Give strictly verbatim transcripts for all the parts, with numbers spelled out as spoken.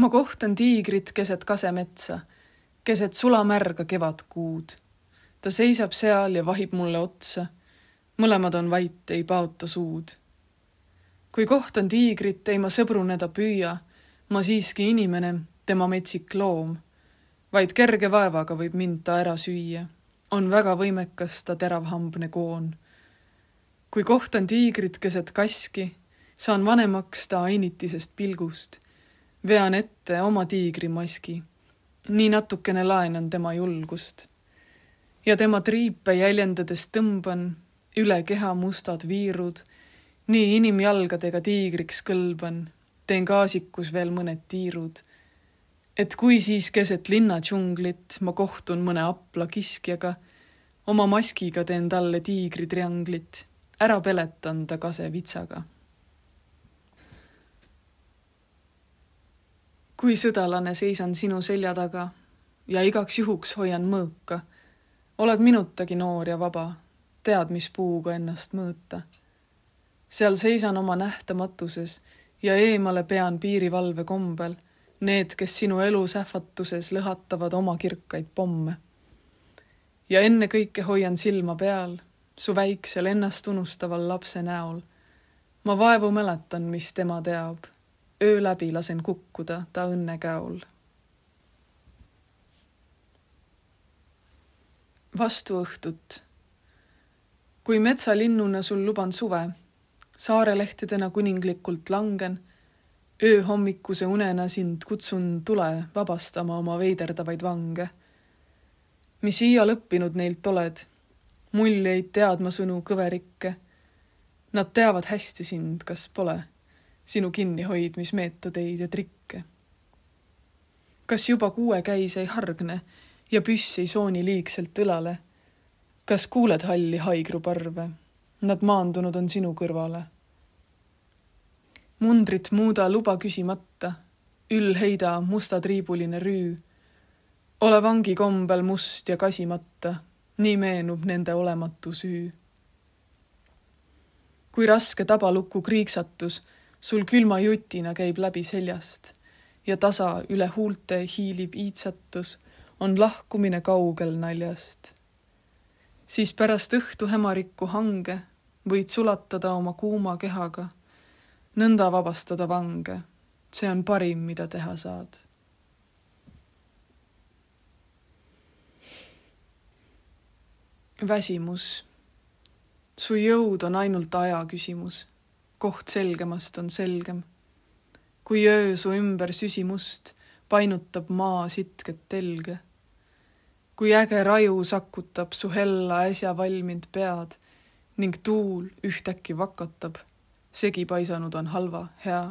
Ma kohtan tiigrit keset kasemetsa, keset sulamärga kevadkuud. Ta seisab seal ja vahib mulle otsa. Mõlemad on vait, ei paota suud. Kui kohtan tiigrit, ei ma sõbruneda püüa, ma siiski inimene, tema metsik loom. Vaid kerge vaevaga võib mind ta ära süüa. On väga võimekas ta teravhambne koon. Kui kohtan tiigrit keset kaski, saan vanemaks ta ainitisest pilgust. Vean ette oma tiigrimaski. Nii natukene laenan tema julgust. Ja tema triipe jäljendades tõmban, üle keha mustad viirud, nii inimjalgadega tiigriks kõlban, teen gaasikus veel mõned tiirud. Et kui siis keset linna džunglit ma kohtun mõne apla kiskjaga, oma maskiga teen talle tiigritrianglit, ära peletan ta kase vitsaga. Kui sõdalane seisan sinu selja taga ja igaks juhuks hoian mõõka, oled minutagi noor ja vaba, tead, mis puuga ennast mõõta. Seal seisan oma nähtamatuses ja eemale pean piirivalve kombel, need, kes sinu elu sähvatuses lõhatavad oma kirkaid pomme. Ja enne kõike hoian silma peal, su väiksel ennast unustaval lapse näol. Ma vaevu mäletan, mis tema teab. Öö läbi lasen kukkuda ta õnne käol. Vastu õhtut. Kui metsalinnuna sul luban suve, saarelehtedena kuninglikult langen, öö hommikuse unena sind kutsun tule vabastama oma veiderdavaid vange. Mis iial õppinud neilt oled, muljeid teadma sõnu kõverikke. Nad teavad hästi sind, kas pole, sinu kinnihoidmismeetodeid ja trikke. Kas juba kuue käis ei hargne ja püss ei sooni liigselt õlale? Kas kuuled halli haigruparve? Nad maandunud on sinu kõrvale. Mundrit muuda luba küsimata, üll heida mustatriibuline rüü. Ole vangi kombel must ja kasimata, nii meenub nende olematu süü. Kui raske tabalukku kriiksatus, sul külma jutina käib läbi seljast ja tasa üle huulte hiilib iitsatus, on lahkumine kaugel naljast. Siis pärast õhtu hämarikku hange võid sulatada oma kuuma kehaga, nõnda vabastada vange, see on parim, mida teha saad. Väsimus. Su jõud on ainult aja küsimus. Koht selgemast on selgem. Kui öö su ümber süsimust painutab maa sitket telge. Kui äge raju sakutab su hella äsja valmind pead ning tuul ühtäkki vakatab, segi paisanud on halva, hea.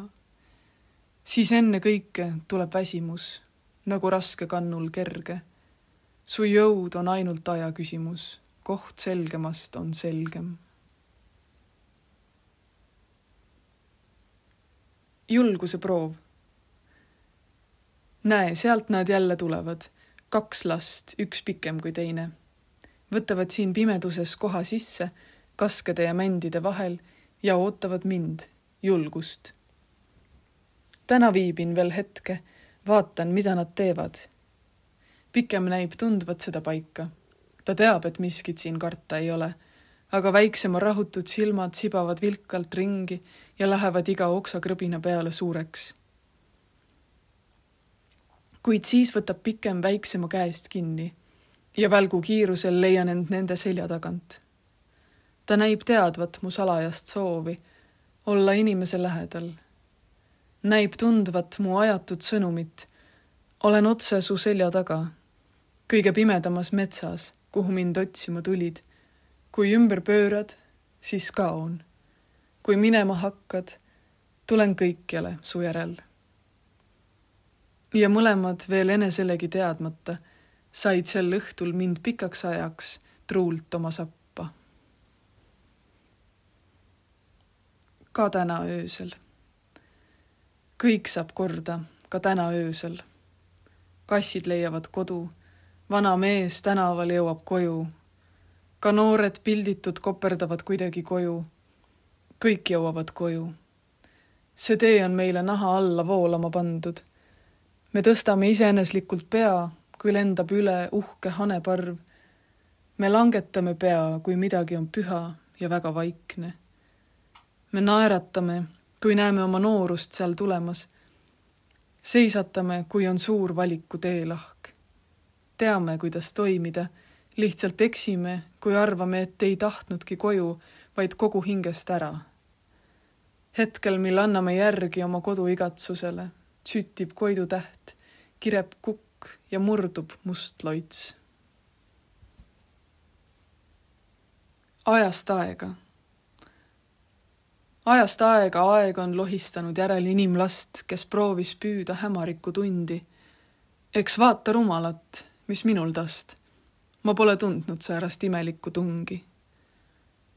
Siis enne kõike tuleb väsimus, nagu raske kannul kerge. Su jõud on ainult aja küsimus, koht selgemast on selgem. Julguse proov. Näe, sealt nad jälle tulevad. Kaks last, üks pikem kui teine. Võtavad siin pimeduses koha sisse, kaskede ja mändide vahel ja ootavad mind, julgust. Täna viibin veel hetke, vaatan, mida nad teevad. Pikem näib tundvat seda paika. Ta teab, et miskit siin karta ei ole, aga väiksema rahutud silmad sibavad vilkalt ringi ja lähevad iga oksakrõbina peale suureks. Kuid siis võtab pikem väiksema käest kinni ja välgu kiirusel leian end nende selja tagant. Ta näib teadvat mu salajast soovi olla inimese lähedal. Näib tundvat mu ajatud sõnumit. Olen otse su selja taga, kõige pimedamas metsas, kuhu mind otsima tulid. Kui ümber pöörad, siis kaon. Kui minema hakkad, tulen kõikjale su järel. Ja mõlemad veel eneselegi teadmata said sel õhtul mind pikaks ajaks truult oma sappa. Ka täna öösel. Kõik saab korda, ka täna öösel. Kassid leiavad kodu, vana mees tänaval jõuab koju. Ka noored pilditud koperdavad kuidagi koju. Kõik jõuavad koju. See tee on meile naha alla voolama pandud. me tõstame iseeneslikult pea, kui lendab üle uhke haneparv. me langetame pea, kui midagi on püha ja väga vaikne. me naeratame, kui näeme oma noorust seal tulemas. seisatame, kui on suur valiku teelahk. teame, kuidas toimida, lihtsalt eksime, kui arvame, et ei tahtnudki koju, vaid kogu hingest ära. hetkel, mil anname järgi oma kodu igatsusele, süttib Koidu täht, kireb kukk ja murdub must loits. Ajast aega. Ajast aega aeg on lohistanud järel inimlast, kes proovis püüda hämariku tundi. Eks vaata rumalat, mis minul tast. Ma pole tundnud säärast imelikku tungi.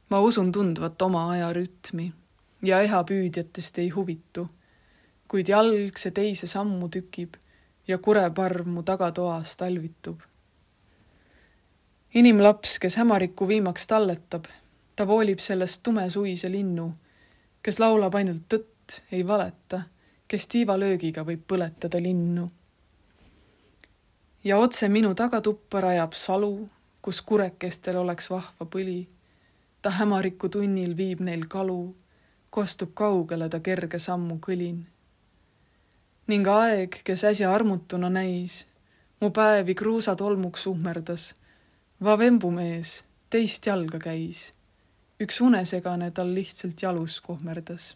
Ma usun tundvat oma aja rütmi ja eha püüdjatest ei huvitu, kuid jalg see teise sammu tükib ja kureparv mu tagatoas talvitub. Inimlaps, kes hämariku viimaks talletab, ta voolib sellest tumesuise linnu, kes laulab ainult tõtt, ei valeta, kes tiivalöögiga võib põletada linnu. Ja otse minu tagatuppa rajab salu, kus kurekestel oleks vahva põli. Ta hämariku tunnil viib neil kalu, kostub kaugele ta kerge sammu kõlin. Ning aeg, kes äsja armutuna näis, mu päevi kruusatolmuks uhmerdas, vavembumees teist jalga käis, üks unesegane tal lihtsalt jalus kohmerdas.